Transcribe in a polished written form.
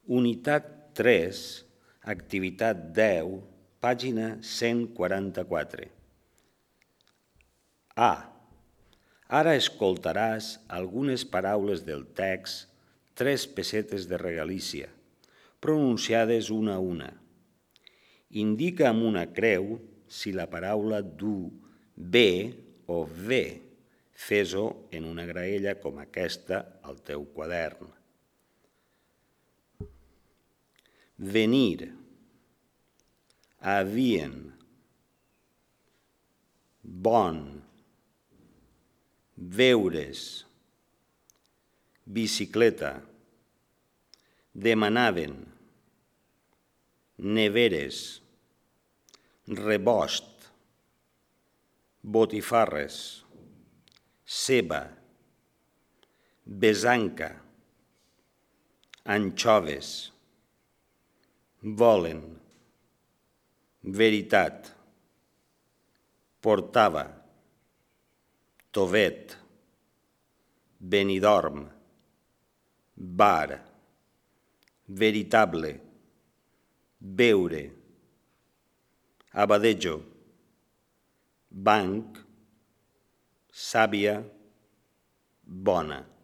Unitat 3, activitat 10, pàgina 144. A. Ara escoltaràs algunes paraules del text 3 pessetes de regalícia, pronunciades una a una. Indica amb una creu si la paraula du bé o ve. Fes-ho en una graella com aquesta al teu quadern. Venir, havien, bon, veure's, bicicleta, demanaven, neveres, rebost, botifarres, ceba, besanca, anxoves, volen, veritat, portava, tovet, Benidorm, bar, veritable, beure, abadejo, banc, sàvia, bona.